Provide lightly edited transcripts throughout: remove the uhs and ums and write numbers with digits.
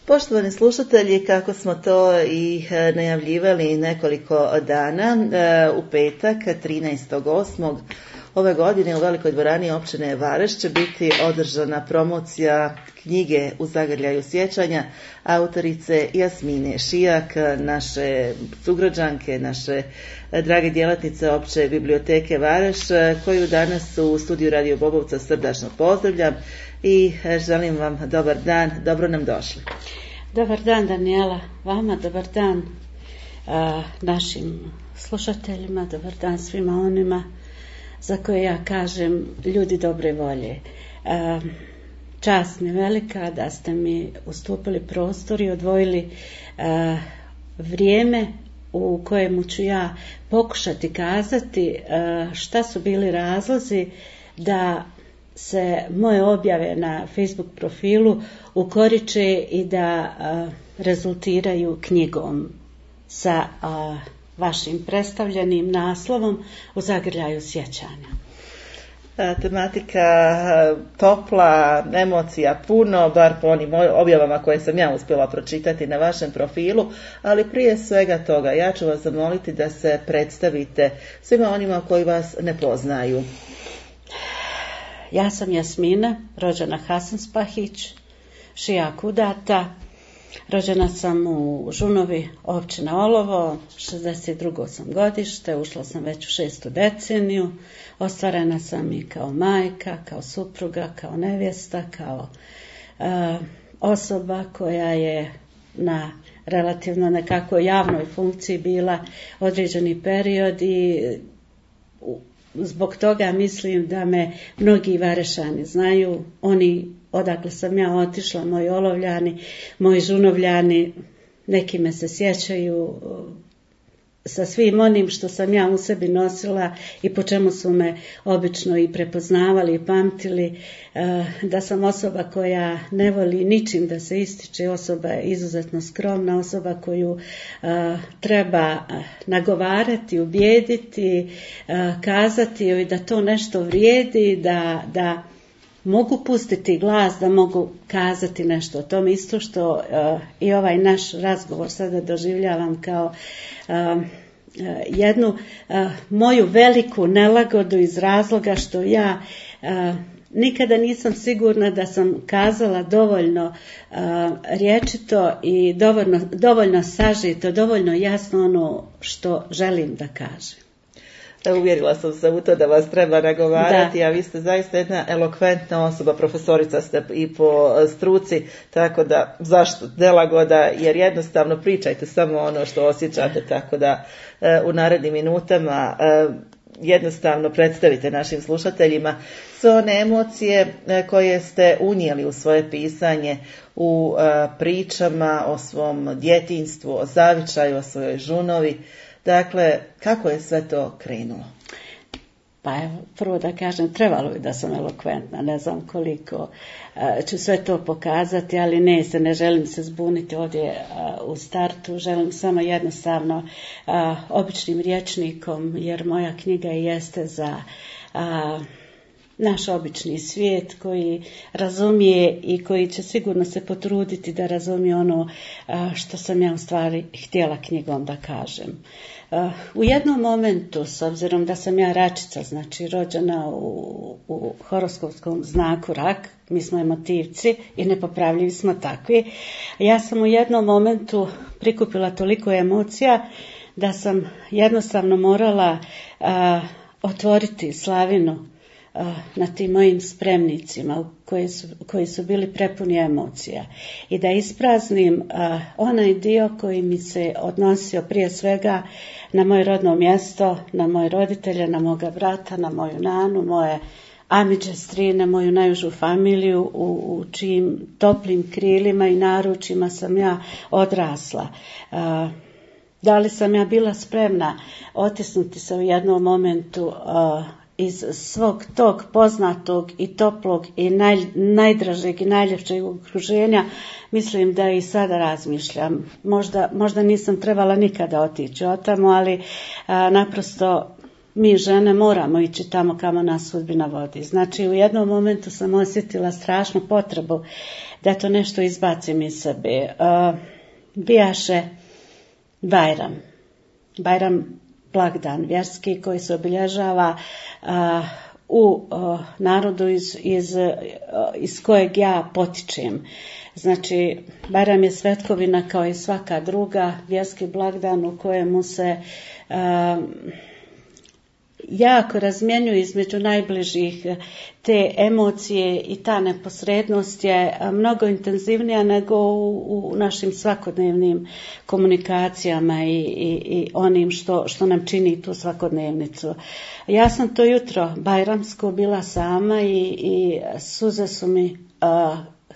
Poštovani slušatelji, kako smo to i najavljivali nekoliko dana, u petak 13.8. ove godine u Velikoj dvorani općine Vareš će biti održana promocija knjige U zagrljaju sjećanja autorice Jasmine Šijak, naše sugrađanke, naše drage djelatnice opće biblioteke Vareš, koju danas u studiju Radio Bobovca srdačno pozdravljam i želim vam dobar dan, dobro nam došli. Dobar dan Danijela, vama dobar dan našim slušateljima, dobar dan svima onima za koje ja kažem ljudi dobre volje. Čast mi velika da ste mi ustupili prostor i odvojili vrijeme u kojemu ću ja pokušati kazati šta su bili razlozi da se moje objave na Facebook profilu ukoriče i da rezultiraju knjigom sa vašim predstavljenim naslovom U zagrljaju sjećanja. Tematika topla, emocija puno, bar po onim objavama koje sam ja uspjela pročitati na vašem profilu, ali prije svega toga ja ću vas zamoliti da se predstavite svima onima koji vas ne poznaju. Ja sam Jasmina, rođena Hasanspahić, Šijak udata. Rođena sam u Žunovi, općina Olovo, 62. sam godište, ušla sam već u 6. deceniju, ostvarena sam i kao majka, kao supruga, kao nevjesta, kao osoba koja je na relativno nekakvoj javnoj funkciji bila određeni period i zbog toga mislim da me mnogi Varešani znaju, oni odakle sam ja otišla, moji Olovljani, moji Žunovljani, neki me se sjećaju sa svim onim što sam ja u sebi nosila i po čemu su me obično i prepoznavali i pamtili, da sam osoba koja ne voli ničim da se ističe, osoba je izuzetno skromna, osoba koju treba nagovarati, ubijediti, kazati joj da to nešto vrijedi, da mogu pustiti glas, da mogu kazati nešto o tom, isto što i ovaj naš razgovor sada doživljavam kao jednu moju veliku nelagodu iz razloga što ja nikada nisam sigurna da sam kazala dovoljno rječito i dovoljno sažito, dovoljno jasno ono što želim da kažem. Uvjerila sam se u to da vas treba nagovarati, a vi ste zaista jedna elokventna osoba, profesorica ste i po struci, tako da zašto nelagoda, jer jednostavno pričajte samo ono što osjećate, tako da u narednim minutama jednostavno predstavite našim slušateljima sve one emocije koje ste unijeli u svoje pisanje, u pričama o svom djetinjstvu, o zavičaju, o svojoj žunovi. Dakle, kako je sve to krenulo? Pa evo, prvo da kažem, trebalo bi da sam elokventna, ne znam koliko ću sve to pokazati, ali ne želim se zbuniti ovdje u startu, želim samo jednostavno običnim rječnikom, jer moja knjiga jeste za naš obični svijet koji razumije i koji će sigurno se potruditi da razumije ono što sam ja u stvari htjela knjigom da kažem. U jednom momentu, s obzirom da sam ja račica, znači rođena u horoskopskom znaku rak, mi smo emotivci i nepopravljivi smo takvi, ja sam u jednom momentu prikupila toliko emocija da sam jednostavno morala otvoriti slavinu na tim mojim spremnicima koji su bili prepuni emocija i da ispraznim onaj dio koji mi se odnosio prije svega na moje rodno mjesto, na moje roditelje, na moga brata, na moju nanu, moje amiđe, strine, moju najužu familiju u čijim toplim krilima i naručima sam ja odrasla. Da li sam ja bila spremna otisnuti se u jednom momentu iz svog tog poznatog i toplog i najdražeg i najljepšeg okruženja, mislim da i sada razmišljam. Možda nisam trebala nikada otići od tamo, ali naprosto mi žene moramo ići tamo kamo nas sudbina vodi. Znači u jednom momentu sam osjetila strašnu potrebu da to nešto izbacim iz sebe. Bijaše Bajram blagdan vjerski koji se obilježava u narodu iz kojeg ja potičem. Znači, Bajram je svetkovina kao i svaka druga, vjerski blagdan u kojemu se jako razmjenjuju između najbližih. Te emocije i ta neposrednost je mnogo intenzivnija nego u našim svakodnevnim komunikacijama i onim što nam čini tu svakodnevnicu. Ja sam to jutro bajramsko bila sama i suze su mi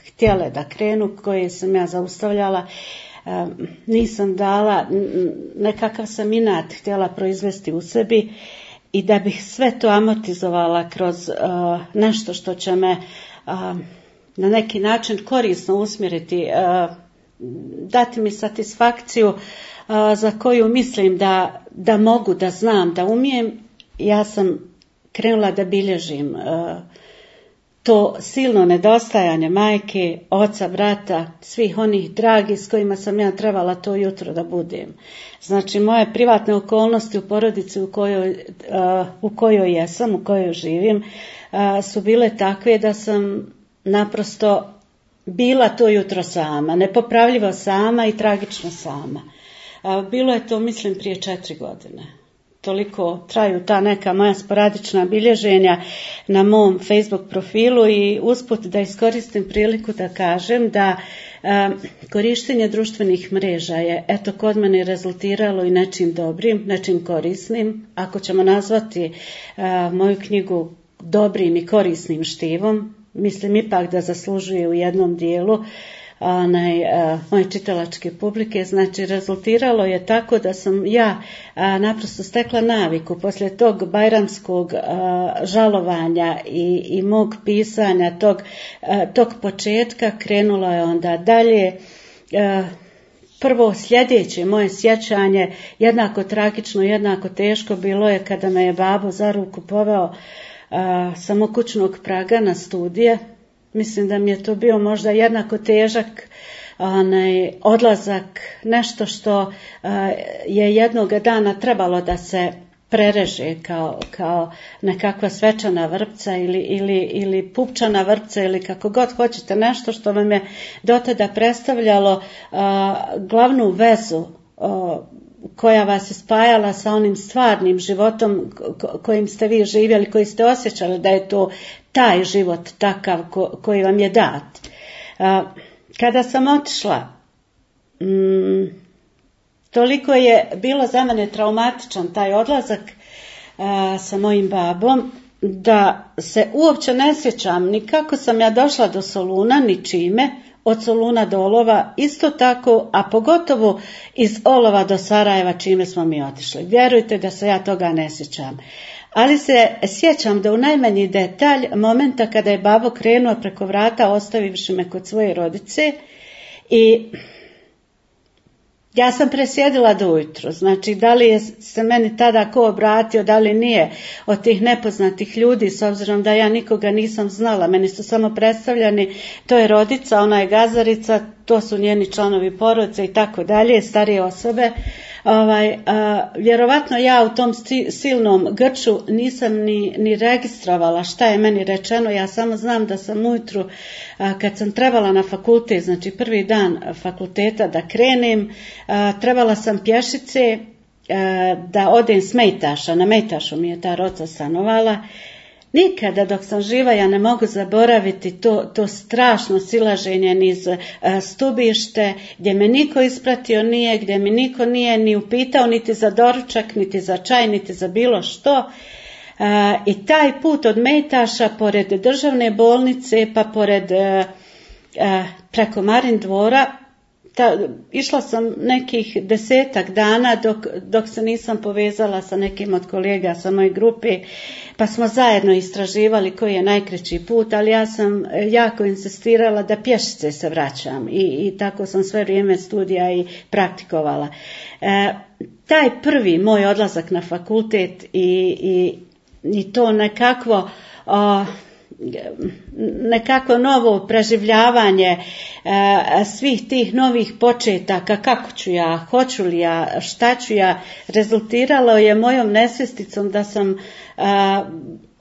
htjele da krenu, koje sam ja zaustavljala. Nisam dala, nekakav sam inat htjela proizvesti u sebi i da bih sve to amortizovala kroz nešto što će me na neki način korisno usmjeriti, dati mi satisfakciju za koju mislim da mogu, da znam, da umijem. Ja sam krenula da bilježim to silno nedostajanje majke, oca, brata, svih onih dragi s kojima sam ja trebala to jutro da budem. Znači, moje privatne okolnosti u porodici u kojoj jesam, u kojoj živim, su bile takve da sam naprosto bila to jutro sama, nepopravljivo sama i tragično sama. Bilo je to, mislim, prije 4 godine. Toliko traju ta neka moja sporadična bilježenja na mom Facebook profilu i usput da iskoristim priliku da kažem da korištenje društvenih mreža je eto kod mene rezultiralo i nečim dobrim, nečim korisnim. Ako ćemo nazvati moju knjigu dobrim i korisnim štivom, mislim ipak da zaslužuje u jednom dijelu moje čitalačke publike. Znači, rezultiralo je tako da sam ja naprosto stekla naviku poslije tog bajramskog žalovanja i mog pisanja tog početka. Krenulo je onda dalje. Prvo sljedeće moje sjećanje, jednako tragično, jednako teško, bilo je kada me je babo za ruku poveo sa mog kućnog praga na studije. Mislim da mi je to bio možda jednako težak odlazak, nešto što je jednog dana trebalo da se prereže kao nekakva svečana vrpca ili pupčana vrpca ili kako god hoćete, nešto što vam je dotada predstavljalo glavnu vezu koja vas je spajala sa onim stvarnim životom kojim ste vi živjeli, koji ste osjećali da je to taj život takav koji vam je dat. Kada sam otišla, toliko je bilo za mene traumatičan taj odlazak sa mojim babom, da se uopće ne sjećam ni kako sam ja došla do Soluna, ni čime, od Soluna do Olova, isto tako, a pogotovo iz Olova do Sarajeva čime smo mi otišli. Vjerujte da se ja toga ne sjećam. Ali se sjećam da u najmanji detalj momenta kada je babo krenuo preko vrata ostavivši me kod svoje rodice i ja sam presjedila do ujutru. Znači, da li je se meni tada ko obratio, da li nije od tih nepoznatih ljudi, s obzirom da ja nikoga nisam znala. Meni su samo predstavljani, to je rodica, ona je gazarica, to su njeni članovi porodice i tako dalje, starije osobe. Vjerovatno ja u tom silnom grču nisam ni registrovala šta je meni rečeno. Ja samo znam da sam ujutru kad sam trebala na fakultet, znači prvi dan fakulteta da krenem, trebala sam pješice da odem s Mejtaša, na Mejtašu mi je ta roca stanovala. Nikada dok sam živa ja ne mogu zaboraviti to strašno silaženje niz stubište, gdje me niko ispratio nije, gdje mi niko nije ni upitao niti za doručak, niti za čaj, niti za bilo što. I taj put od Mejtaša pored državne bolnice pa pored preko Marin dvora, išla sam nekih 10 dana dok se nisam povezala sa nekim od kolega sa moje grupe, pa smo zajedno istraživali koji je najkraći put, ali ja sam jako insistirala da pješice se vraćam i tako sam sve vrijeme studija i praktikovala. Taj prvi moj odlazak na fakultet i to nekakvo nekako novo preživljavanje svih tih novih početaka, kako ću ja, hoću li ja, šta ću ja, rezultiralo je mojom nesvjesticom da sam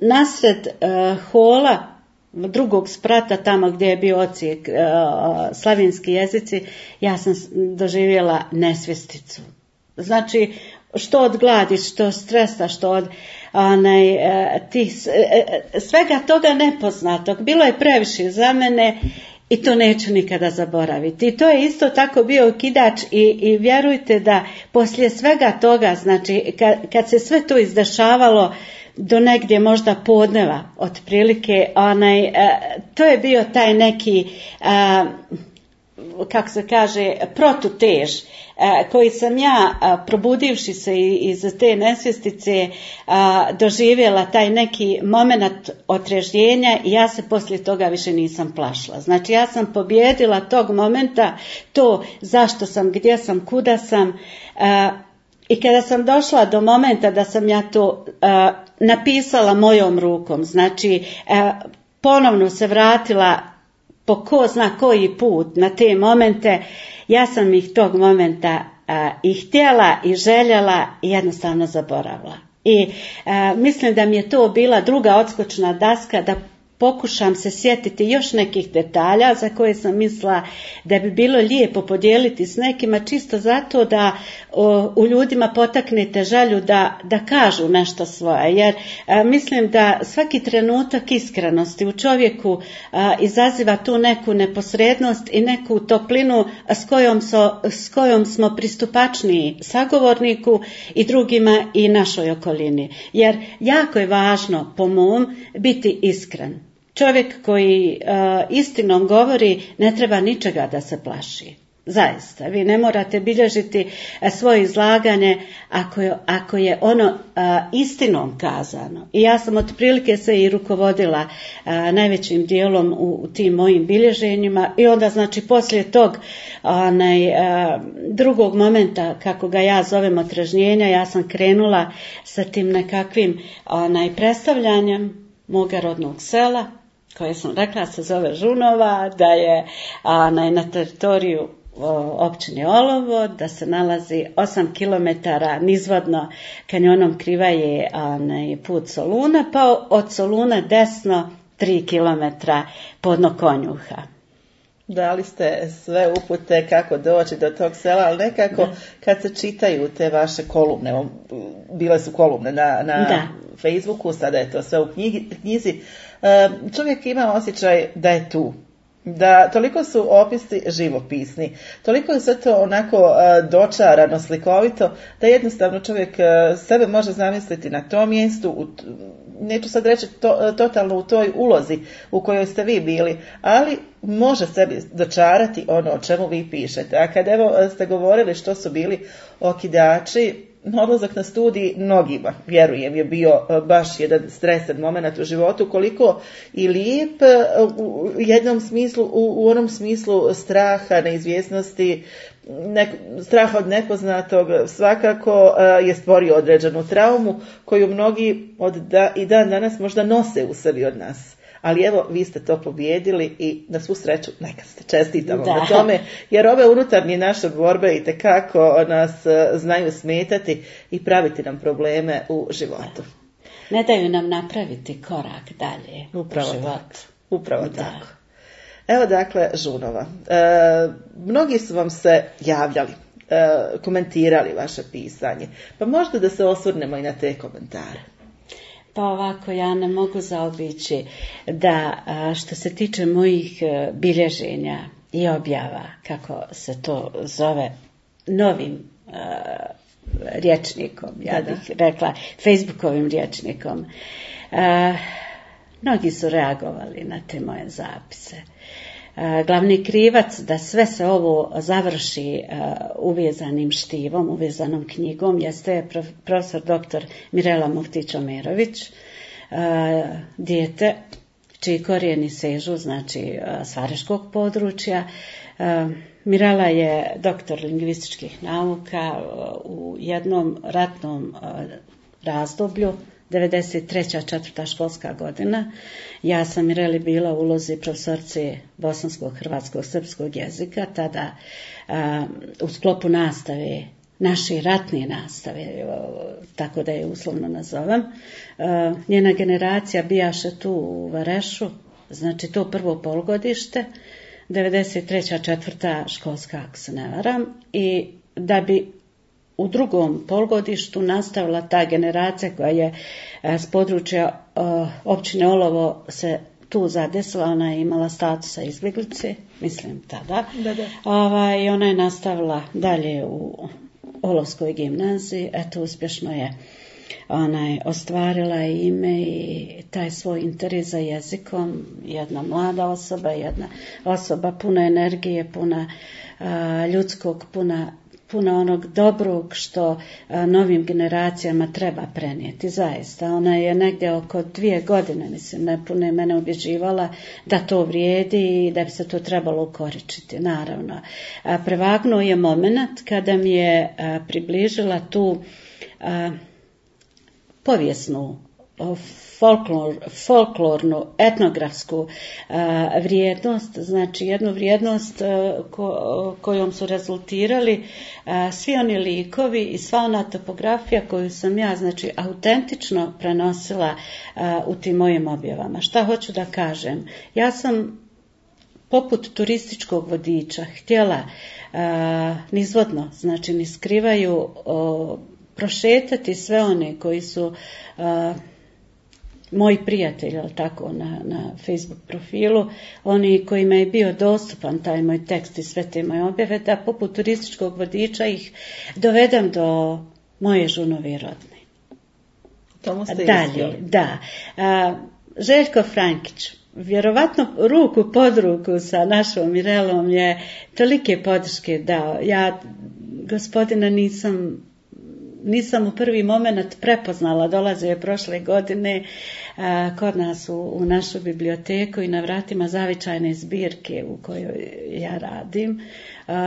nasred hola drugog sprata, tamo gdje je bio odsjek slavinski jezici, ja sam doživjela nesvjesticu. Znači, što od gladi, što od stresa, što od svega toga nepoznatog. Bilo je previše za mene i to neću nikada zaboraviti. I to je isto tako bio okidač i vjerujte da poslije svega toga, znači kad se sve to izdešavalo do negdje možda podneva otprilike, to je bio taj neki kako se kaže, protutež koji sam ja, probudivši se iz te nesvjestice, doživjela taj neki moment otrežnjenja i ja se poslije toga više nisam plašila. Znači ja sam pobjedila tog momenta, to zašto sam, gdje sam, kuda sam, i kada sam došla do momenta da sam ja to napisala mojom rukom, znači ponovno se vratila po ko zna koji put na te momente, ja sam ih tog momenta i htjela i željela i jednostavno zaboravila. I mislim da mi je to bila druga odskočna daska da pokušam se sjetiti još nekih detalja za koje sam mislila da bi bilo lijepo podijeliti s nekima, čisto zato da u ljudima potaknete želju da kažu nešto svoje. Jer mislim da svaki trenutak iskrenosti u čovjeku izaziva tu neku neposrednost i neku toplinu s kojom smo pristupačniji sagovorniku i drugima i našoj okolini. Jer jako je važno, po mom, biti iskren. Čovjek koji istinom govori ne treba ničega da se plaši. Zaista, vi ne morate bilježiti svoje izlaganje ako je ono istinom kazano. I ja sam otprilike se i rukovodila najvećim dijelom u tim mojim bilježenjima i onda znači poslije tog drugog momenta, kako ga ja zovem otrežnjenja, ja sam krenula sa tim nekakvim predstavljanjem moga rodnog sela, koje sam rekla se zove Žunova, da je na teritoriju općine Olovo, da se nalazi 8 km nizvodno kanjonom Krivaje put Soluna, pa od Soluna desno 3 km podno Konjuha. Dali ste sve upute kako doći do tog sela, ali nekako kad se čitaju te vaše kolumne, bile su kolumne na Facebooku, sada je to sve u knjizi, čovjek ima osjećaj da je tu. Da toliko su opisi živopisni, toliko je sve to onako dočarano, slikovito, da jednostavno čovjek sebe može zamisliti na tom mjestu, neću sad reći totalno u toj ulozi u kojoj ste vi bili, ali može sebi dočarati ono o čemu vi pišete. A kad evo ste govorili što su bili okidači, odlazak na studij mnogima, vjerujem, je bio baš jedan stresan moment u životu, koliko i lijep u jednom smislu, u onom smislu straha, neizvjesnosti, straha od nepoznatog, svakako je stvorio određenu traumu koju mnogi i dan danas možda nose u sebi od nas. Ali evo, vi ste to pobijedili i na svu sreću neka ste, čestitamo na tome, jer ove unutarnje naše borbe itekako nas znaju smetati i praviti nam probleme u životu. Ne daju nam napraviti korak dalje u životu. Upravo tako. Evo dakle, Žunova. Mnogi su vam se javljali, komentirali vaše pisanje, pa možda da se osvrnemo i na te komentare. Pa ovako, ja ne mogu zaobići da što se tiče mojih bilježenja i objava, kako se to zove, novim rječnikom, ja bih rekla, Facebookovim rječnikom, mnogi su reagovali na te moje zapise. Glavni krivac da sve se ovo završi uvezanim štivom, uvezanom knjigom, jeste profesor dr. Mirela Muftić-Omerović, dijete čiji korijeni sežu, znači s Vareškog područja. Mirela je doktor lingvističkih nauka u jednom ratnom razdoblju, 93. 4. školska godina. Ja sam Mireli bila u ulozi profesorice bosanskog, hrvatskog, srpskog jezika, tada u sklopu nastave, naše ratne nastave, tako da je uslovno nazovem. Njena generacija bijaše tu u Varešu, znači to prvo polgodište, 93. 4. školska, ako se ne varam, i da bi u drugom polgodištu nastavila ta generacija koja je s područja općine Olovo se tu zadesila, ona je imala statusa izbjeglice, mislim tada. I ona je nastavila dalje u Olovskoj gimnaziji, eto uspješno je ostvarila ime i taj svoj interes za jezikom, jedna mlada osoba, jedna osoba puna energije, puna ljudskog, puna onog dobrog što novim generacijama treba prenijeti, zaista. Ona je negdje oko 2 godine, mislim, nepune mene ubjeđivala da to vrijedi i da bi se to trebalo ukoričiti, naravno. Prevagnuo je moment kada mi je približila tu povijesnu, folklornu, etnografsku vrijednost, znači jednu vrijednost kojom su rezultirali svi oni likovi i sva ona topografija koju sam ja, znači, autentično prenosila u tim mojim objavama. Šta hoću da kažem? Ja sam poput turističkog vodiča htjela nizvodno, znači ni skrivaju, prošetati sve one koji su moji prijatelji, ali tako, na Facebook profilu, oni kojima je bio dostupan taj moj tekst i sve te moje objave, da poput turističkog vodiča ih dovedem do moje žunovi rodne. Tomu ste dalje, da. Željko Frankić, vjerovatno ruku pod ruku sa našom Mirelom je tolike podrške dao. Ja gospodina nisam u prvi moment prepoznala, dolazio je prošle godine kod nas u našu biblioteku i na vratima zavičajne zbirke u kojoj ja radim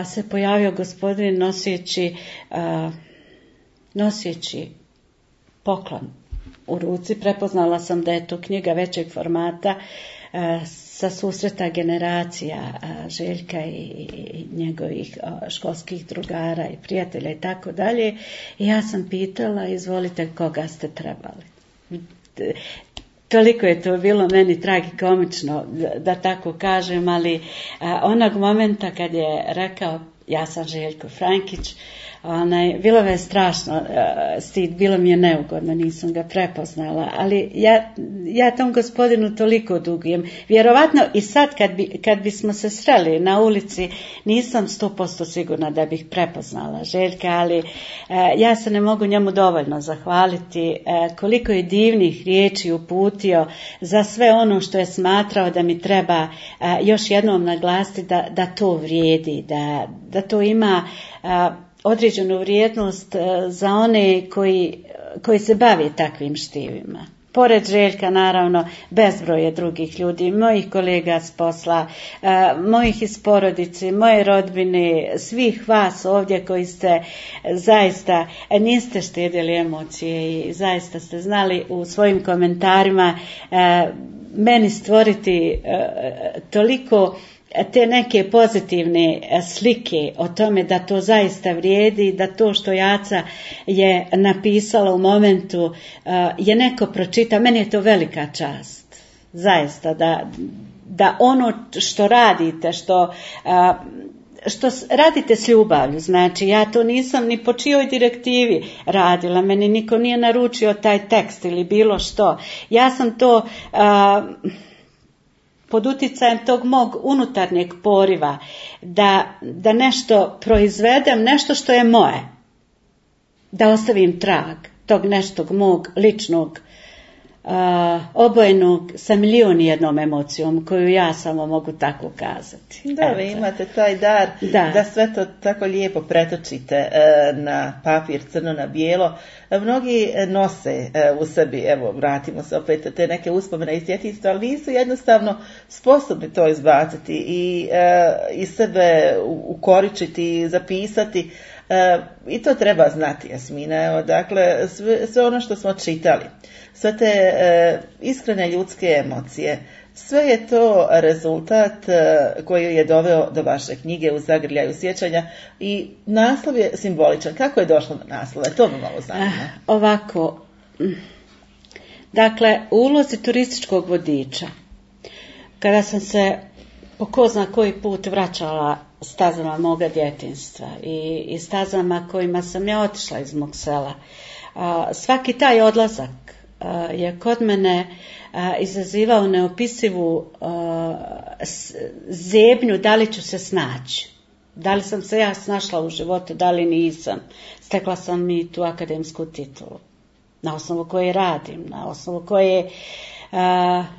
se pojavio gospodin noseći poklon u ruci. Prepoznala sam da je to knjiga većeg formata sa susreta generacija Željka i njegovih školskih drugara i prijatelja i tako dalje. I ja sam pitala, izvolite, koga ste trebali. Toliko je to bilo meni tragikomično, da tako kažem, ali onog momenta kad je rekao ja sam Željko Frankić, bilo me strašno stid, bilo mi je neugodno, nisam ga prepoznala, ali ja tom gospodinu toliko dugujem. Vjerovatno i sad kad bismo se sreli na ulici, nisam 100% sigurna da bih prepoznala Željka, ali ja se ne mogu njemu dovoljno zahvaliti koliko je divnih riječi uputio za sve ono što je smatrao da mi treba još jednom naglasiti da to vrijedi, da to ima određenu vrijednost za one koji se bave takvim štivima. Pored Željka, naravno, bezbroj je drugih ljudi, mojih kolega s posla, mojih iz porodice, moje rodbine, svih vas ovdje koji ste zaista, niste štedili emocije i zaista ste znali u svojim komentarima meni stvoriti toliko te neke pozitivne slike o tome da to zaista vrijedi, da to što Jaca je napisala u momentu je neko pročita. Meni je to velika čast, zaista, da ono što radite, što radite s ljubavlju, znači ja to nisam ni po čijoj direktivi radila, meni niko nije naručio taj tekst ili bilo što. Ja sam to pod utjecajem tog mog unutarnjeg poriva da nešto proizvedem, nešto što je moje, da ostavim trag tog neštog mog ličnog obojenog sa 1.000.001 emocijom koju ja samo mogu tako kazati. Da, vi imate taj dar da sve to tako lijepo pretočite na papir, crno na bijelo. Mnogi nose u sebi, evo vratimo se opet te neke uspomene iz djetinjstva, ali nisu jednostavno sposobni to izbaciti i iz sebe ukoričiti, zapisati. I to treba znati, Jasmina. Evo, dakle, sve ono što smo čitali, sve te iskrene ljudske emocije, sve je to rezultat koji je doveo do vaše knjige U zagrljaju sjećanja i naslov je simboličan. Kako je došlo do naslova? To me malo zanima. Ovako, dakle, u ulozi turističkog vodiča, kada sam se po ko zna koji put vraćala stazama moga djetinjstva i stazama kojima sam ja otišla iz mog sela, svaki taj odlazak je kod mene izazivao neopisivu zebnju da li ću se snaći. Da li sam se ja snašla u životu, da li nisam. Stekla sam i tu akademsku titulu, na osnovu koje radim, na osnovu koje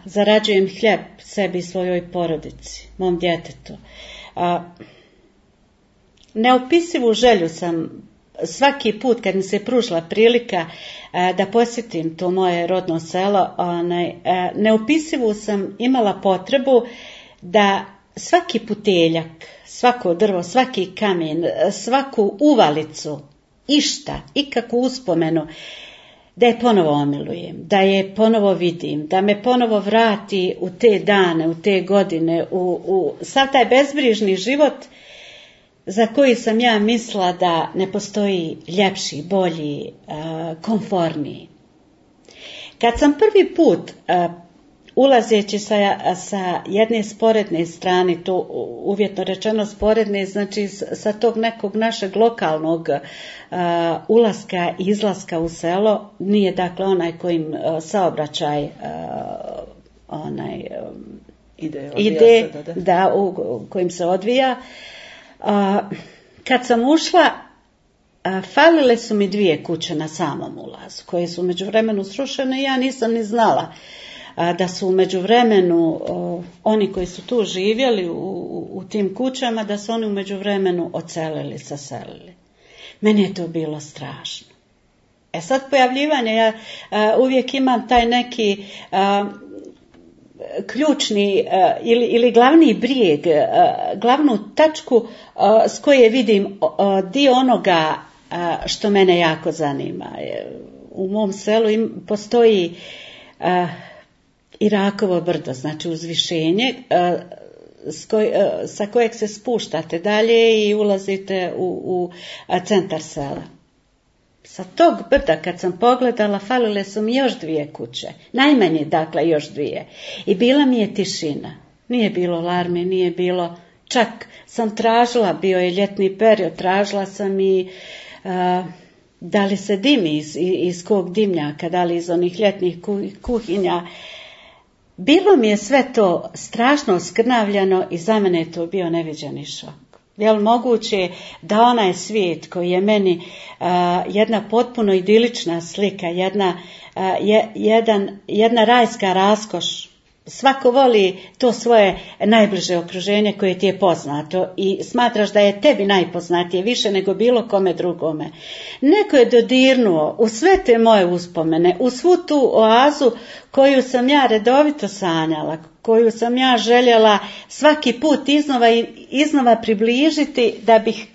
zarađujem hljeb sebi i svojoj porodici, mom djetetu. Neopisivu želju sam svaki put kad mi se pružila prilika da posjetim to moje rodno selo, neopisivu sam imala potrebu da svaki puteljak, svako drvo, svaki kamen, svaku uvalicu, išta, ikakvu uspomenu, da je ponovo omilujem, da je ponovo vidim, da me ponovo vrati u te dane, u te godine, u sav taj bezbrižni život za koji sam ja mislila da ne postoji ljepši, bolji, komforniji. Kad sam prvi put ulazeći sa jedne sporedne strane, to uvjetno rečeno sporedne, znači sa tog nekog našeg lokalnog ulaska i izlaska u selo, nije dakle onaj kojim saobraćaj ide, da, u kojim se odvija. Kad sam ušla, falile su mi 2 kuće na samom ulazu, koje su u međuvremenu srušene i ja nisam ni znala da su u međuvremenu oni koji su tu živjeli u tim kućama, da su oni u međuvremenu odselili, saselili. Meni je to bilo strašno. Sad pojavljivanje, ja uvijek imam taj neki ključni ili glavni brijeg, glavnu tačku s koje vidim dio onoga što mene jako zanima. U mom selu postoji Irakovo brdo, znači uzvišenje sa kojeg se spuštate dalje i ulazite u centar sela. Sa tog brda kad sam pogledala, falile su mi još 2 kuće, najmanje dakle još 2. I bila mi je tišina, nije bilo larme, nije bilo, čak sam tražila, bio je ljetni period, tražila sam i da li se dimi iz kog dimnjaka, da li iz onih ljetnih kuhinja. Bilo mi je sve to strašno skrnavljano i za mene je to bio neviđeni šok. Je li moguće da onaj svijet koji je meni jedna potpuno idilična slika, jedna rajska raskoš, svako voli to svoje najbliže okruženje koje ti je poznato i smatraš da je tebi najpoznatije više nego bilo kome drugome. Neko je dodirnuo u sve te moje uspomene, u svu tu oazu koju sam ja redovito sanjala, koju sam ja željela svaki put iznova približiti da bih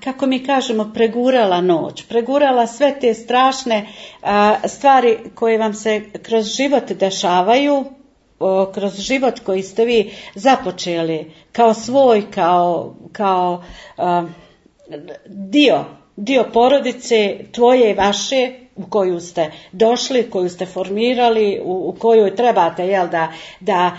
kako mi kažemo, pregurala noć, pregurala sve te strašne stvari koje vam se kroz život dešavaju, kroz život koji ste vi započeli kao svoj, kao dio porodice tvoje i vaše, u koju ste došli, koju ste formirali, u kojoj trebate da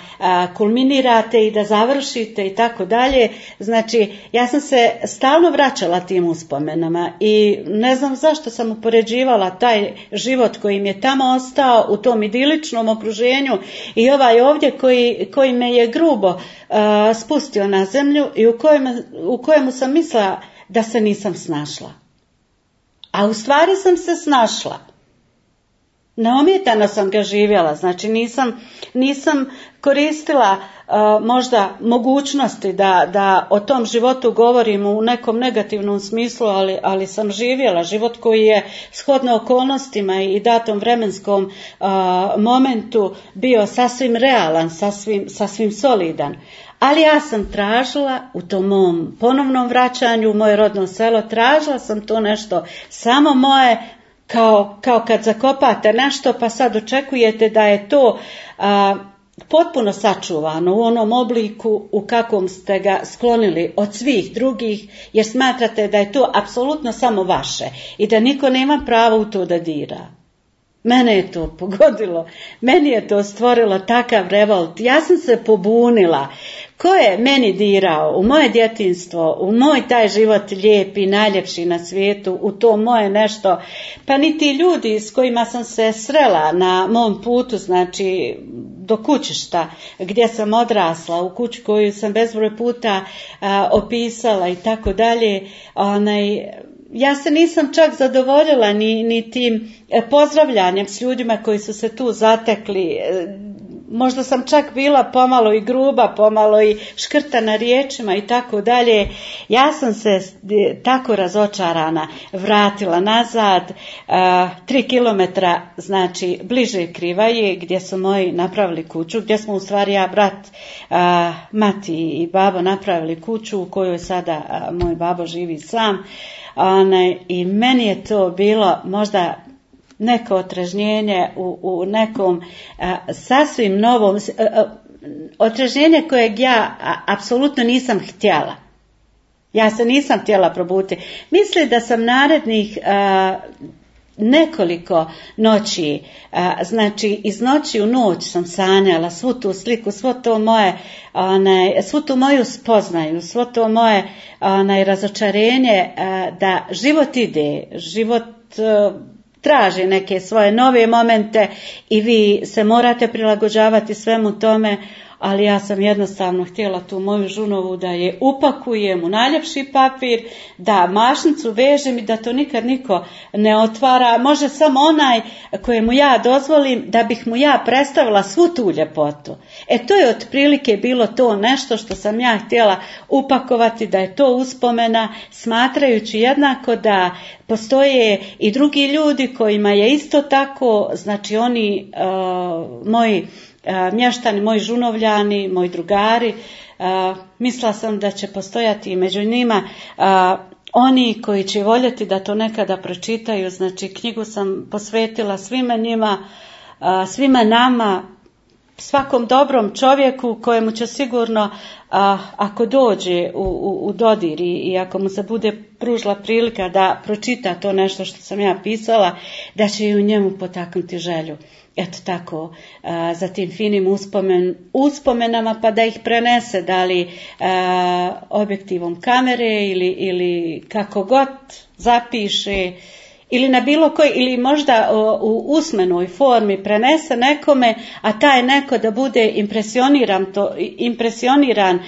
kulminirate i da završite i tako dalje. Znači, ja sam se stalno vraćala tim uspomenama i ne znam zašto sam upoređivala taj život koji mi je tamo ostao u tom idiličnom okruženju i ovaj ovdje koji me je grubo spustio na zemlju i u kojemu sam mislila da se nisam snašla. A u stvari sam se snašla. Neomjetano sam ga živjela, znači nisam koristila možda mogućnosti da o tom životu govorim u nekom negativnom smislu, ali sam živjela život koji je shodno okolnostima i datom vremenskom momentu bio sasvim realan, sasvim solidan. Ali ja sam tražila u tom mom ponovnom vraćanju u moje rodno selo, tražila sam to nešto samo moje, kao kad zakopate nešto pa sad očekujete da je to potpuno sačuvano u onom obliku u kakvom ste ga sklonili od svih drugih, jer smatrate da je to apsolutno samo vaše i da niko nema pravo u to da dira. Mene je to pogodilo, meni je to stvorilo takav revolt, ja sam se pobunila. Ko je meni dirao u moje djetinjstvo, u moj taj život lijepi, najljepši na svijetu, u to moje nešto, pa ni ti ljudi s kojima sam se srela na mom putu, znači do kućišta gdje sam odrasla, u kuću koju sam bezbroj puta opisala i tako dalje, ja se nisam čak zadovoljila ni tim pozdravljanjem s ljudima koji su se tu zatekli. Možda sam čak bila pomalo i gruba, pomalo i škrtana riječima i tako dalje. Ja sam se tako razočarana vratila nazad 3 kilometra, znači bliže Krivaje, gdje su moji napravili kuću, gdje smo u stvari ja, brat, mati i babo napravili kuću u kojoj sada moj babo živi sam. I meni je to bilo možda neko otrežnjenje u nekom sasvim novom, otrežnjenje kojeg ja apsolutno nisam htjela. Ja se nisam htjela probuditi. Mislim da sam narednih nekoliko noći, znači iz noći u noć sam sanjala svu tu sliku, svo to moje, svu tu moju spoznaju, svo to moje razočarenje da život ide, život traži neke svoje nove momente i vi se morate prilagođavati svemu tome, ali ja sam jednostavno htjela tu moju žunovu da je upakujem u najljepši papir, da mašnicu vežem i da to nikad niko ne otvara, može samo onaj kojemu ja dozvolim da bih mu ja predstavila svu tu ljepotu. To je otprilike bilo to nešto što sam ja htjela upakovati, da je to uspomena, smatrajući jednako da postoje i drugi ljudi kojima je isto tako, znači oni moji mještani, moji žunovljani, moji drugari, mislila sam da će postojati i među njima oni koji će voljeti da to nekada pročitaju, znači knjigu sam posvetila svima njima, svima nama, svakom dobrom čovjeku kojemu će sigurno, ako dođe u dodir i ako mu se bude pružila prilika da pročita to nešto što sam ja pisala, da će i u njemu potaknuti želju. Eto tako, za tim finim uspomenama, pa da ih prenese, da li objektivom kamere ili kako god zapiše, ili na bilo koji, ili možda u usmenoj formi prenese nekome, a taj neko da bude impresioniran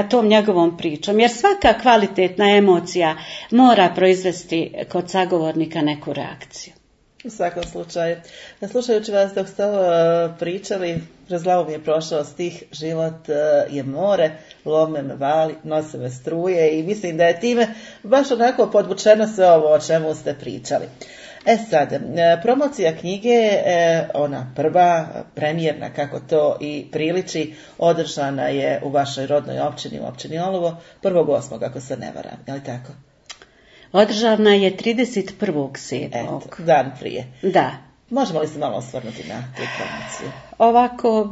tom njegovom pričom. Jer svaka kvalitetna emocija mora proizvesti kod sagovornika neku reakciju. U svakom slučaju. Slušajući vas dok ste pričali, kroz glavu mi je prošao stih: život je more, lome me vali, nose me struje, i mislim da je time baš onako podvučeno sve ovo o čemu ste pričali. Sad, promocija knjige, ona prva, premijerna, kako to i priliči, održana je u vašoj rodnoj općini, u općini Olovo, 1.8. ako se ne varam, je li tako? Održana je 31.7. Dan prije. Da. Možemo li se malo osvrnuti na tu promociju? Ovako,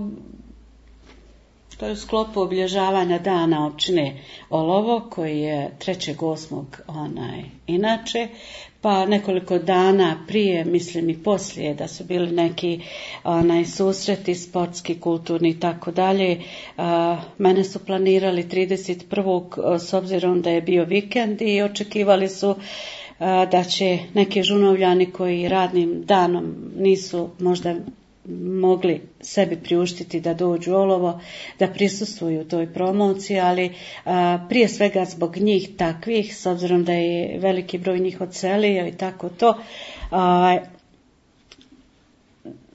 to je u sklopu obilježavanja dana općine Olovo, koji je 3.8. Inače, pa nekoliko dana prije, mislim i poslije, da su bili neki susreti sportski, kulturni i tako dalje. Mene su planirali 31. s obzirom da je bio vikend i očekivali su da će neki žunovljani koji radnim danom nisu možda mogli sebi priuštiti da dođu u Olovo, da prisustvuju toj promociji, ali prije svega zbog njih takvih, s obzirom da je veliki broj njih odselio i tako to,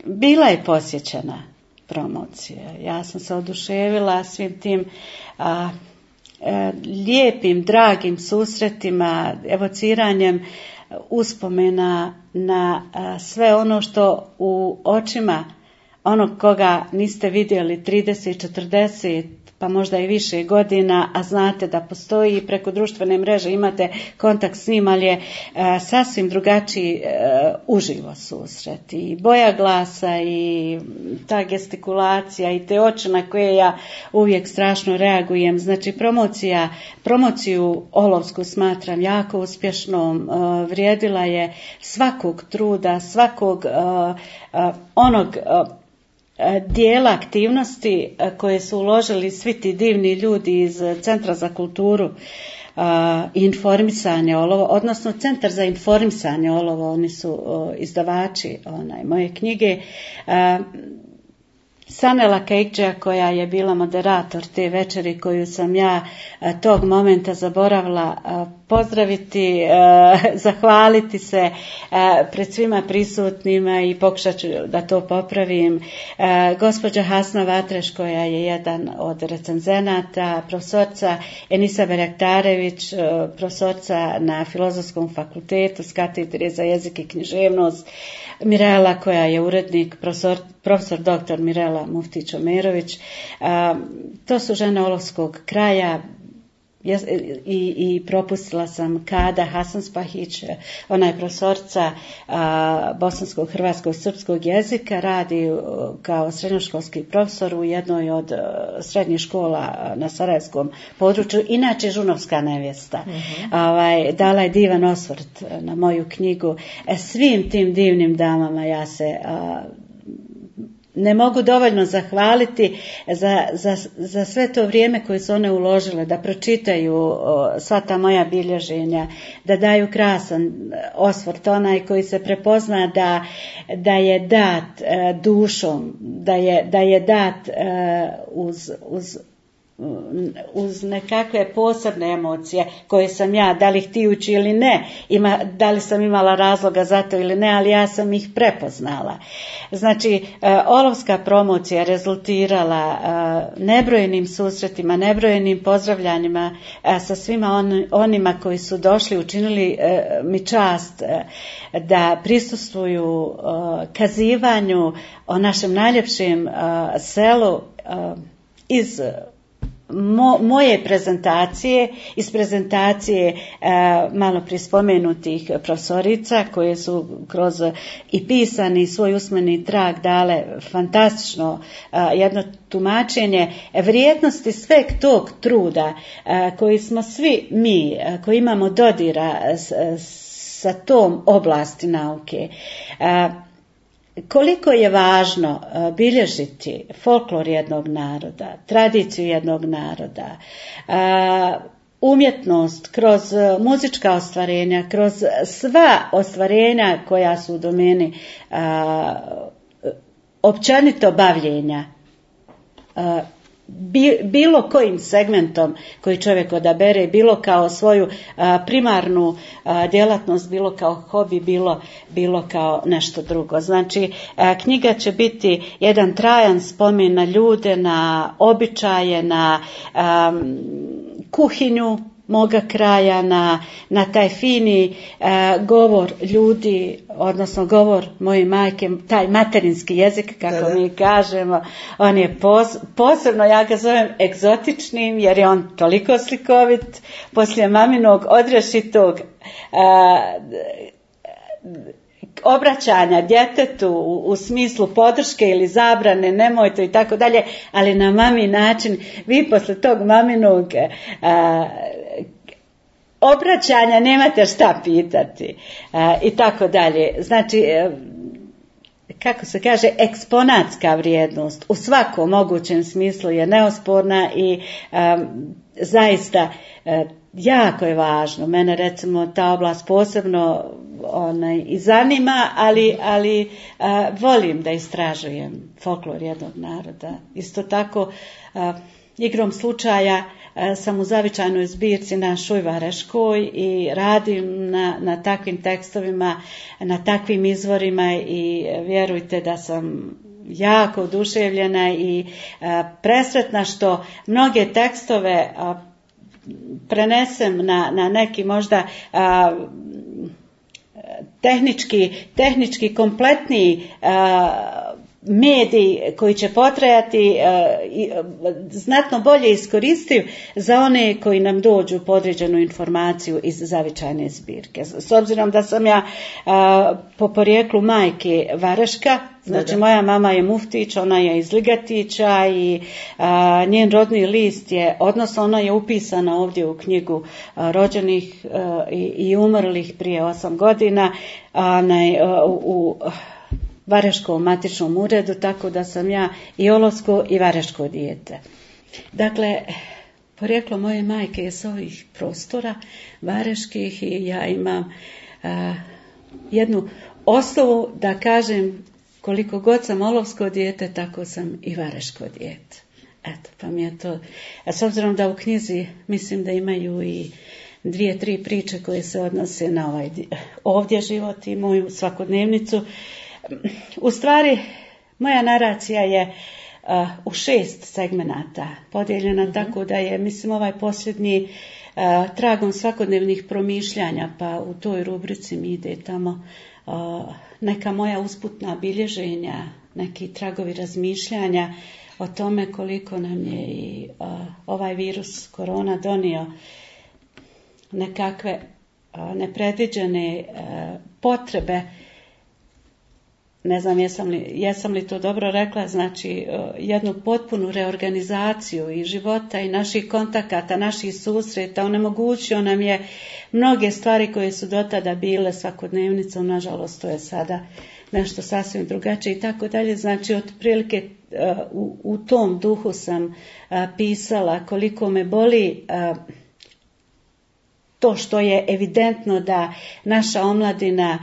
bila je posjećena promocija. Ja sam se oduševila svim tim lijepim, dragim susretima, evociranjem uspomena na sve ono što u očima onog koga niste vidjeli 30, 40, pa možda i više godina, a znate da postoji preko društvene mreže, imate kontakt s njim, ali je sasvim drugačiji uživo susret. I boja glasa i ta gestikulacija i te oči na koje ja uvijek strašno reagujem. Znači promociju olovsku smatram jako uspješnom, vrijedila je svakog truda, svakog onog dijela aktivnosti koje su uložili svi ti divni ljudi iz Centra za kulturu i informisanje Olovo, odnosno Centar za informisanje Olovo, oni su izdavači moje knjige. Sanela Kejkđija, koja je bila moderator te večeri, koju sam ja tog momenta zaboravila pozdraviti, zahvaliti se pred svima prisutnima i pokušat ću da to popravim. Gospođa Hasna Vatreš, koja je jedan od recenzenata, profesorca Enisa Beraktarević, profesorca na Filozofskom fakultetu s katedre za jezik i književnost, Mirela, koja je urednik, profesor dr. Mirela Muftić-Omerović. To su žene olovskog kraja. I propustila sam Kada Hasanspahić, ona je profesorca bosanskog, hrvatskog, srpskog jezika, radi kao srednjoškolski profesor u jednoj od srednjih škola na sarajevskom području, inače žunovska nevjesta. Dala je divan osvrt na moju knjigu. Svim tim divnim damama ja se ne mogu dovoljno zahvaliti za sve to vrijeme koje su one uložile, da pročitaju sva ta moja bilježenja, da daju krasan osvrt, onaj koji se prepozna da je dat dušom, da je dat uz nekakve posebne emocije koje sam ja, da li htijući ili ne, da li sam imala razloga za to ili ne, ali ja sam ih prepoznala. Znači, olovska promocija rezultirala nebrojenim susretima, nebrojenim pozdravljanjima sa svima onima koji su došli, učinili mi čast da prisustvuju kazivanju o našem najljepšem selu iz moje prezentacije, iz prezentacije malo prije spomenutih profesorica koje su kroz i pisani svoj usmeni trag dale fantastično jedno tumačenje vrijednosti sveg tog truda koji smo svi mi koji imamo dodira sa tom oblasti nauke. Koliko je važno bilježiti folklor jednog naroda, tradiciju jednog naroda, umjetnost kroz muzička ostvarenja, kroz sva ostvarenja koja su u domeni općenito bavljenja, bilo kojim segmentom koji čovjek odabere, bilo kao svoju primarnu djelatnost, bilo kao hobi, bilo kao nešto drugo. Znači, knjiga će biti jedan trajan spomen na ljude, na običaje, na kuhinju moga kraja, na taj fini govor ljudi, odnosno govor moje majke, taj materinski jezik, kako mi kažemo, on je posebno, ja ga zovem egzotičnim, jer je on toliko slikovit, poslije maminog odrješitog obraćanja djetetu u smislu podrške ili zabrane, nemoj to i tako dalje, ali na mami način, vi posle tog maminog obraćanja nemate šta pitati i tako dalje. Znači, kako se kaže, eksponatska vrijednost u svakom mogućem smislu je neosporna i zaista jako je važno. Mene recimo ta oblast posebno i zanima, ali volim da istražujem folklor jednog naroda. Isto tako, igrom slučaja sam u zavičajnoj zbirci na Šujvareškoj i radim na takvim tekstovima, na takvim izvorima i vjerujte da sam jako oduševljena i presretna što mnoge tekstove prenesem na neki možda tehnički kompletniji medij koji će potrajati znatno bolje iskoristiv za one koji nam dođu po određenu informaciju iz zavičajne zbirke. S obzirom da sam ja po porijeklu majke Vareška, znači moja mama je Muftić, ona je iz Ligatića i njen rodni list je, odnosno ona je upisana ovdje u knjigu rođenih i umrlih prije 8 godina u Vareškom matičnom uredu, tako da sam ja i olovsko i vareško dijete. Dakle, porijeklo moje majke je s ovih prostora vareških i ja imam jednu osnovu da kažem koliko god sam olovsko dijete, tako sam i vareško dijete. Eto, pa mi je to. A s obzirom da u knjizi mislim da imaju i 2-3 priče koje se odnose na ovaj ovdje život i moju svakodnevnicu. U stvari, moja naracija je u 6 segmenata podijeljena, tako da je, mislim, ovaj posljednji tragom svakodnevnih promišljanja, pa u toj rubrici mi ide tamo neka moja usputna bilježenja, neki tragovi razmišljanja o tome koliko nam je i ovaj virus korona donio nekakve nepredviđene potrebe. Ne znam jesam li to dobro rekla, znači jednu potpunu reorganizaciju i života i naših kontakata, naših susreta, onemogućio nam je mnoge stvari koje su do tada bile svakodnevnicom, nažalost to je sada nešto sasvim drugačije i tako dalje. Znači otprilike u tom duhu sam pisala koliko me boli to što je evidentno da naša omladina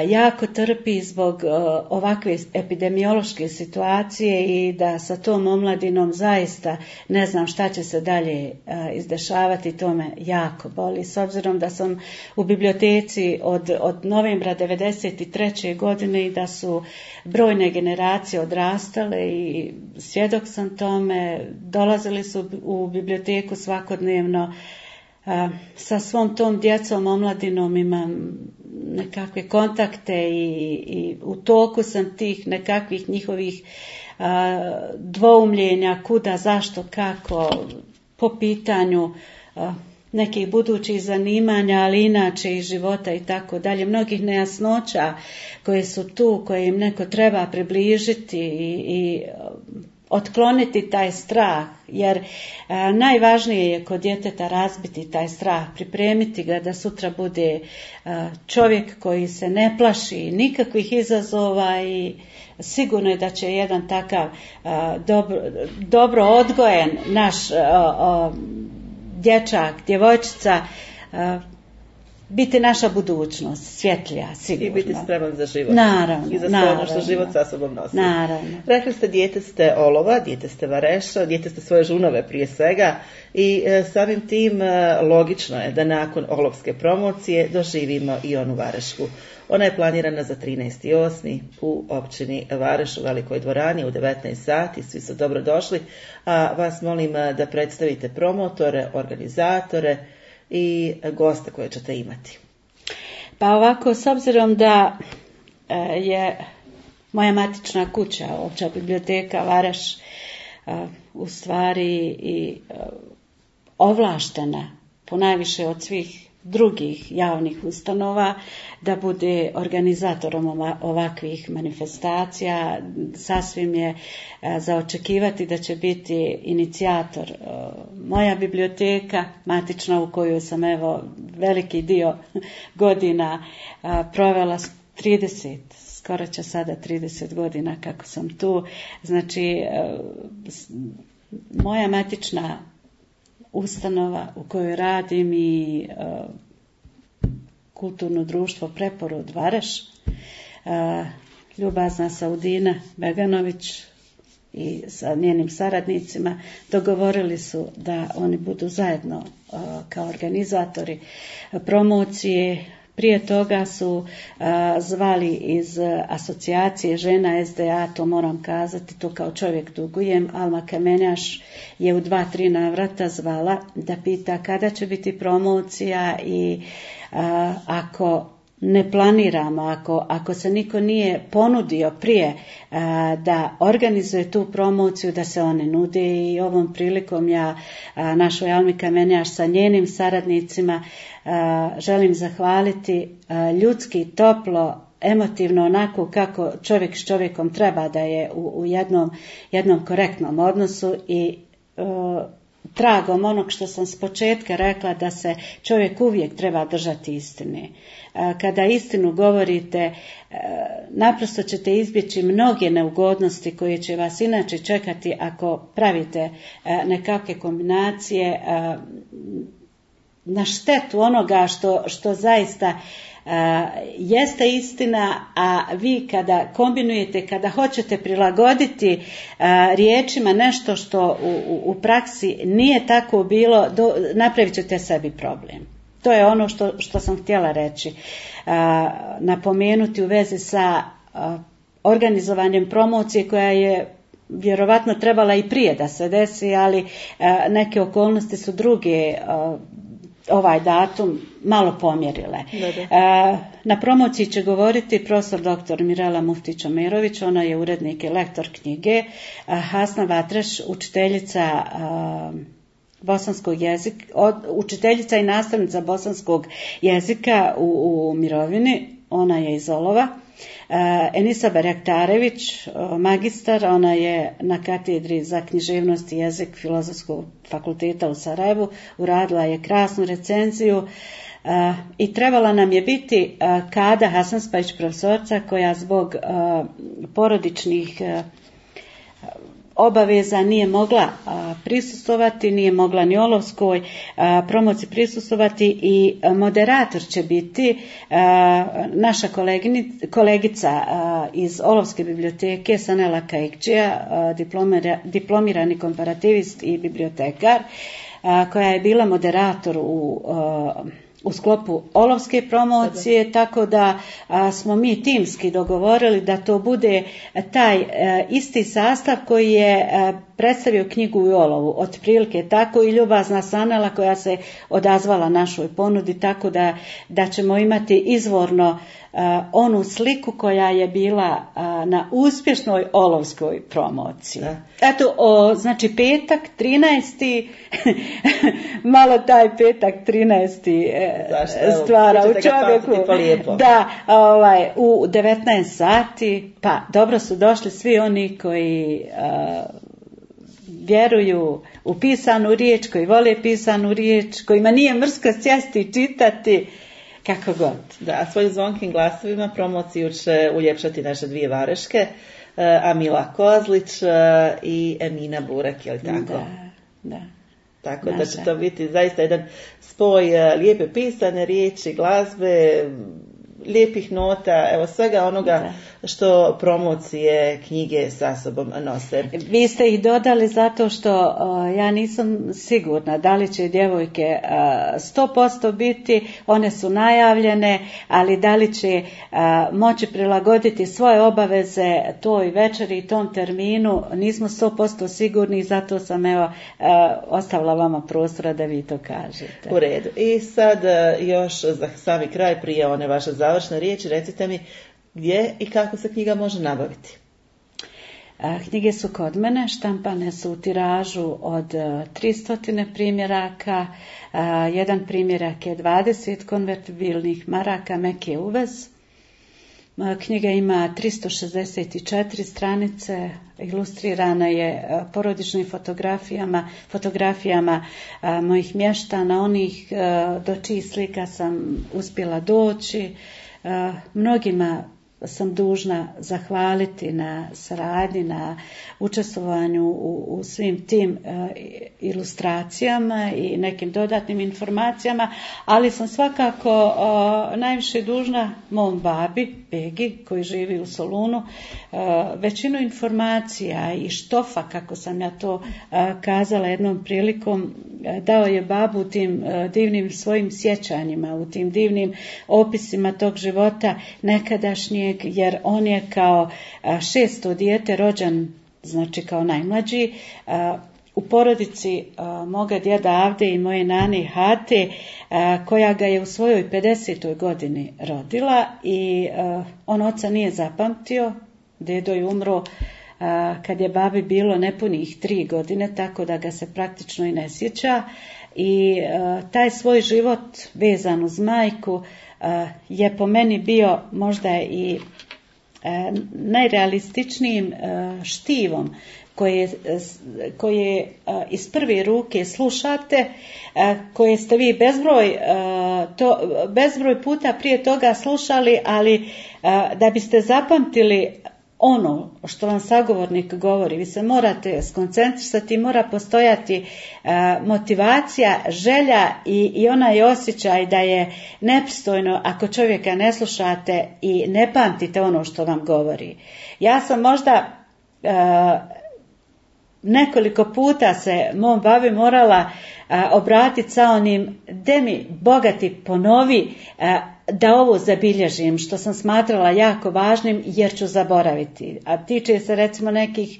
jako trpi zbog ovakve epidemiološke situacije i da sa tom omladinom zaista ne znam šta će se dalje izdešavati, to me jako boli. S obzirom da sam u biblioteci od novembra 1993. godine i da su brojne generacije odrastale i svjedok sam tome, dolazili su u biblioteku svakodnevno. Sa svom tom djecom, omladinom imam nekakve kontakte i u toku sam tih nekakvih njihovih dvoumljenja kuda, zašto, kako, po pitanju nekih budućih zanimanja, ali inače i života i tako dalje. Mnogih nejasnoća koje su tu, koje im neko treba približiti i otkloniti taj strah, jer najvažnije je kod djeteta razbiti taj strah, pripremiti ga da sutra bude čovjek koji se ne plaši nikakvih izazova i sigurno je da će jedan takav dobro odgojen naš dječak, djevojčica biti naša budućnost, svjetlija, sigurno. I biti spreman za život. Naravno. I za sve ono što život sa sobom nosi. Naravno. Rekli ste, dijete ste olova, dijete ste vareša, dijete ste svoje žunove prije svega i samim tim logično je da nakon olovske promocije doživimo i onu varešku. Ona je planirana za 13.8. u općini Vareš u Velikoj dvorani u 19 sati. Svi su dobro došli. A vas molim da predstavite promotore, organizatore i goste koje ćete imati. Pa ovako, s obzirom da je moja matična kuća, Opća biblioteka Vareš, u stvari i ovlaštena ponajviše od svih drugih javnih ustanova da bude organizatorom ovakvih manifestacija, sasvim je za očekivati da će biti inicijator moja biblioteka matična, u kojoj sam evo veliki dio godina provela 30, skoro će sada 30 godina kako sam tu. Znači moja matična ustanova u kojoj radim i kulturno društvo Preporod Vareš, ljubazna Saudina Beganović i sa njenim saradnicima dogovorili su da oni budu zajedno kao organizatori promocije. Prije toga su zvali iz asocijacije žena SDA, to moram kazati, to kao čovjek dugujem. Alma Kamenjaš je u 2-3 navrata zvala da pita kada će biti promocija i ako ne planiramo, ako se niko nije ponudio prije da organizuje tu promociju, da se one nude. I ovom prilikom ja našoj Almi Kamenjaš sa njenim saradnicima želim zahvaliti ljudski, toplo, emotivno, onako kako čovjek s čovjekom treba da je u jednom korektnom odnosu i tragom onog što sam s početka rekla, da se čovjek uvijek treba držati istine. Kada istinu govorite, naprosto ćete izbjeći mnoge neugodnosti koje će vas inače čekati ako pravite nekakve kombinacije na štetu onoga što zaista jeste istina, a vi kada kombinujete, kada hoćete prilagoditi riječima nešto što u praksi nije tako bilo, napravit ćete sebi problem. To je ono što sam htjela reći. Napomenuti u vezi sa organizovanjem promocije koja je vjerovatno trebala i prije da se desi, ali neke okolnosti su druge ovaj datum malo pomjerile. Na promociji će govoriti profesor dr. Mirela Muftić-Omerović, ona je urednik i lektor knjige, Hasna Vatreš, učiteljica bosanskog jezika, učiteljica i nastavnica bosanskog jezika u mirovini, ona je iz Olova. Enisa Berektarević, magistar, ona je na katedri za književnost i jezik Filozofskog fakulteta u Sarajevu, uradila je krasnu recenziju i trebala nam je biti Kada Hasanspajić, profesorca, koja zbog porodičnih obaveza nije mogla prisustvovati, nije mogla ni Olovskoj promociji prisustvovati, i moderator će biti naša kolegica iz Olovske biblioteke Sanela Kaikčija, diplomirani komparativist i bibliotekar, koja je bila moderator u sklopu Olovske promocije, tako da smo mi timski dogovorili da to bude taj isti sastav koji je predstavio knjigu u Olovu, otprilike tako, i ljubazna Sanela koja se odazvala našoj ponudi, tako da ćemo imati izvorno onu sliku koja je bila na uspješnoj Olovskoj promociji. Eto, znači petak 13. malo taj petak 13. stvara u čovjeku. Da, u 19 sati, pa dobro su došli svi oni koji vjeruju u pisanu riječ, koji vole pisanu riječ, kojima nije mrsko sjesti i čitati, kako god. Da, svojim zvonkim glasovima promociju će uljepšati naše dvije vareške, Amila Kozlić i Emina Burek, je li tako? Da. Tako da će to biti zaista jedan spoj lijepe pisane riječi, glazbe, lijepih nota, evo svega onoga što promocije knjige sa sobom nose. Vi ste ih dodali zato što ja nisam sigurna da li će djevojke 100% biti, one su najavljene, ali da li će moći prilagoditi svoje obaveze toj večeri i tom terminu, nismo 100% sigurni, zato sam ostavila vama prostora da vi to kažete. U redu. I sad još za sami kraj, prije one vaše završne riječi, recite mi gdje i kako se knjiga može nabaviti? Knjige su kod mene, štampane su u tiražu od 300 primjeraka, jedan primjerak je 20 konvertibilnih maraka, meki uvez. Knjiga ima 364 stranice, ilustrirana je porodičnim fotografijama mojih mještana, onih do čijih slika sam uspjela doći. Mnogima sam dužna zahvaliti na saradnji, na učestvovanju u svim tim ilustracijama i nekim dodatnim informacijama, ali sam svakako najviše dužna mom babi, Begi, koji živi u Solunu. Većinu informacija i štofa, kako sam ja to kazala jednom prilikom, dao je babu u tim divnim svojim sjećanjima, u tim divnim opisima tog života nekadašnjeg, jer on je kao 600 dijete rođen, znači kao najmlađi, u porodici moga djeda Avde i moje nane Hate, koja ga je u svojoj 50. godini rodila i on oca nije zapamtio. Dedo je umro kad je babi bilo nepunih 3 godine, tako da ga se praktično i ne sjeća. I taj svoj život vezan uz majku je po meni bio možda i najrealističnijim štivom koje iz prve ruke slušate, koje ste vi bezbroj puta prije toga slušali, ali da biste zapamtili ono što vam sagovornik govori, vi se morate skoncentrisati, mora postojati motivacija, želja i onaj osjećaj da je nepristojno ako čovjeka ne slušate i ne pamtite ono što vam govori. Ja sam možda nekoliko puta se mom babi morala obratiti sa onim de mi bogati ponovi da ovo zabilježim, što sam smatrala jako važnim jer ću zaboraviti. A tiče se recimo nekih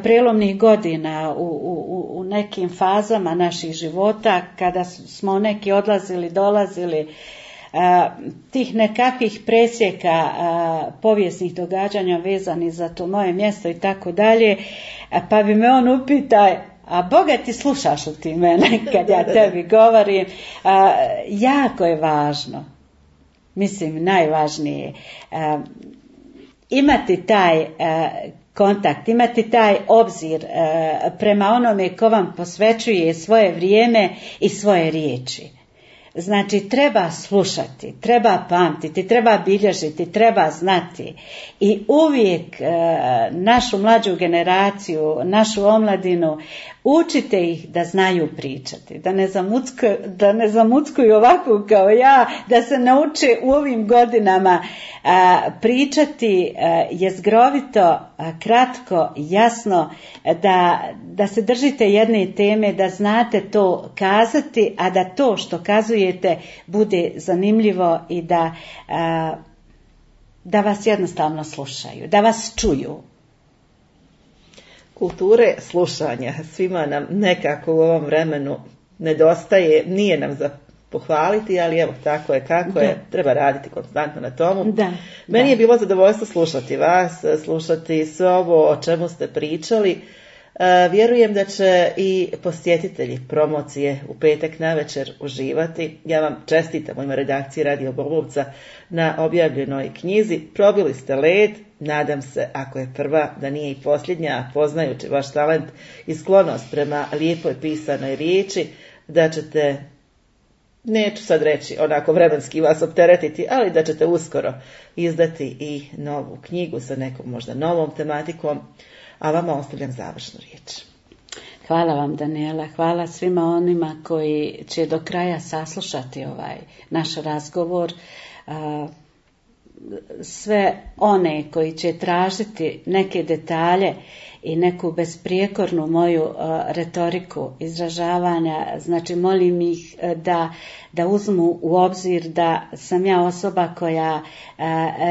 prelomnih godina u nekim fazama naših života kada smo neki odlazili, dolazili, tih nekakvih presjeka povijesnih događanja vezanih za to moje mjesto i tako dalje, pa bi me on upita: a Boga ti slušaš li ti mene kad ja tebi govorim? Jako je važno, mislim najvažnije, imati taj kontakt, imati taj obzir prema onome ko vam posvećuje svoje vrijeme i svoje riječi. Znači, treba slušati, treba pamtiti, treba bilježiti, treba znati. I uvijek našu mlađu generaciju, našu omladinu, učite ih da znaju pričati, da ne zamuckuju ovako kao ja, da se nauče u ovim godinama pričati jezgrovito, kratko, jasno, da se držite jedne teme, da znate to kazati, a da to što kazujete bude zanimljivo i da vas jednostavno slušaju, da vas čuju. Kulture slušanja svima nam nekako u ovom vremenu nedostaje, nije nam za pohvaliti, ali evo tako je kako je, treba raditi konstantno na tomu. Meni je bilo zadovoljstvo slušati vas, slušati sve ovo o čemu ste pričali. Vjerujem da će i posjetitelji promocije u petak navečer uživati. Ja vam čestitam u ime redakcije Radio Golubca na objavljenoj knjizi. Probili ste led, nadam se, ako je prva, da nije i posljednja, poznajući vaš talent i sklonost prema lijepoj pisanoj riječi, da ćete, neću sad reći onako vremenski vas opteretiti, ali da ćete uskoro izdati i novu knjigu sa nekom možda novom tematikom. A vama ostavljam završnu riječ. Hvala vam, Daniela. Hvala svima onima koji će do kraja saslušati ovaj naš razgovor. Sve one koji će tražiti neke detalje i neku besprijekornu moju retoriku izražavanja, znači molim ih da uzmu u obzir da sam ja osoba koja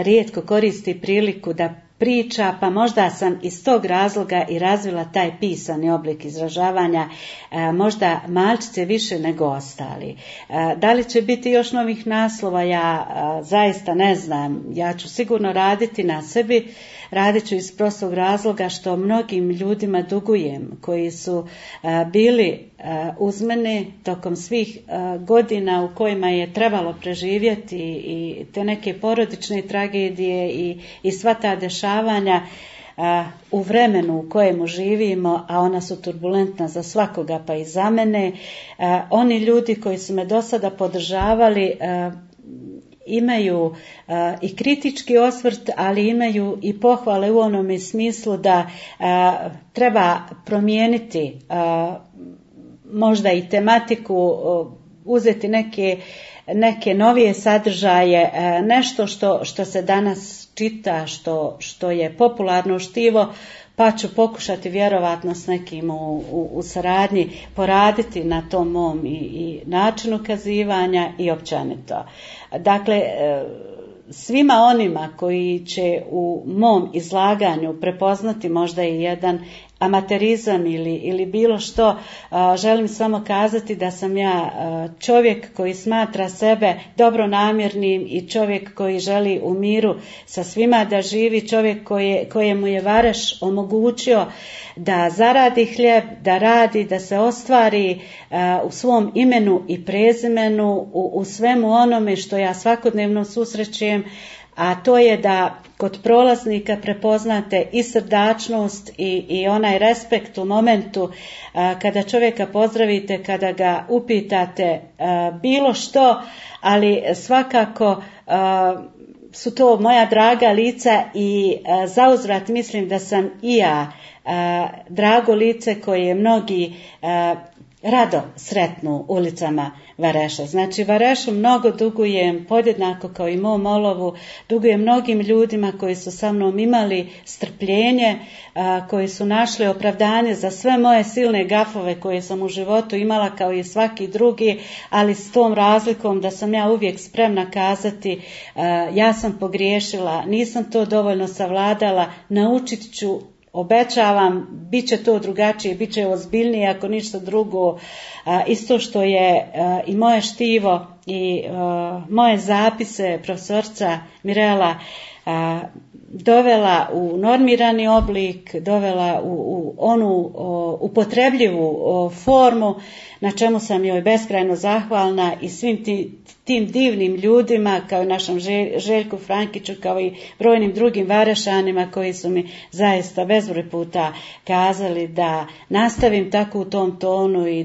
rijetko koristi priliku da priča, pa možda sam iz tog razloga i razvila taj pisani oblik izražavanja, možda malčice više nego ostali. Da li će biti još novih naslova, ja zaista ne znam. Ja ću sigurno raditi na sebi, radit ću iz prostog razloga što mnogim ljudima dugujem, koji su bili uz mene tokom svih godina u kojima je trebalo preživjeti i te neke porodične tragedije i sva ta dešavanja u vremenu u kojemu živimo, a ona su turbulentna za svakoga pa i za mene. Oni ljudi koji su me do sada podržavali imaju i kritički osvrt, ali imaju i pohvale u onome smislu da treba promijeniti možda i tematiku, uzeti neke novije sadržaje, nešto što se danas čita, što je popularno štivo, pa ću pokušati vjerovatno s nekim u saradnji poraditi na tom mom i načinu kazivanja i općenito. Dakle, svima onima koji će u mom izlaganju prepoznati možda i jedan amaterizam ili bilo što, želim samo kazati da sam ja čovjek koji smatra sebe dobronamjernim i čovjek koji želi u miru sa svima da živi, čovjek kojemu je Vareš omogućio da zaradi hljeb, da radi, da se ostvari u svom imenu i prezimenu, u svemu onome što ja svakodnevno susrećem, a to je da kod prolaznika prepoznate i srdačnost i onaj respekt u momentu kada čovjeka pozdravite, kada ga upitate bilo što, ali svakako su to moja draga lica i zauzvrat mislim da sam i ja drago lice koje mnogi rado sretnu ulicama Vareša. Znači Varešu mnogo dugujem, podjednako kao i mom olovu, dugujem mnogim ljudima koji su sa mnom imali strpljenje, koji su našli opravdanje za sve moje silne gafove koje sam u životu imala kao i svaki drugi, ali s tom razlikom da sam ja uvijek spremna kazati ja sam pogriješila, nisam to dovoljno savladala, naučit ću, obećavam, bit će to drugačije, bit će ozbiljnije ako ništa drugo. Isto što je i moje štivo i moje zapise profesorca Mirela dovela u normirani oblik, dovela u onu upotrebljivu formu, na čemu sam joj beskrajno zahvalna i svim tim divnim ljudima, kao i našem Željku Frankiću, kao i brojnim drugim Varešanima koji su mi zaista bezbroj puta kazali da nastavim tako u tom tonu i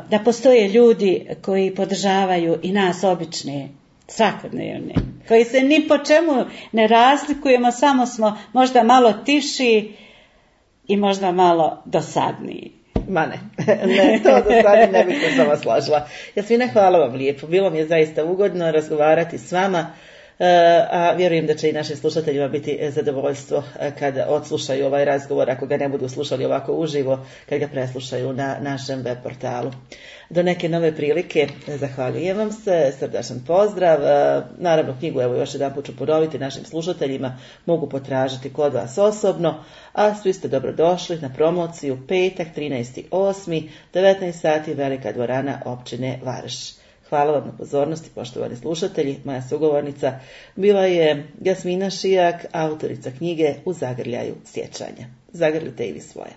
da postoje ljudi koji podržavaju i nas obične, svakodnevne, koji se ni po čemu ne razlikujemo, samo smo možda malo tiši i možda malo dosadniji. Ma ne, to do sada ne bih se s vama složila. Jasmina, hvala vam lijepo. Bilo mi je zaista ugodno razgovarati s vama, a vjerujem da će i našim slušateljima biti zadovoljstvo kada odslušaju ovaj razgovor, ako ga ne budu slušali ovako uživo, kad ga preslušaju na našem web portalu. Do neke nove prilike, zahvaljujem vam se, srdačan pozdrav. Naravno, knjigu, evo još jedan put ću ponoviti, našim slušateljima mogu potražiti kod vas osobno, a svi ste dobrodošli na promociju petak 13.8. 19 sati, Velika dvorana općine Vareš. Hvala vam na pozornosti, poštovani slušatelji. Moja sugovornica bila je Jasmina Šijak, autorica knjige U zagrljaju sjećanja. Zagrlite i vi svoje.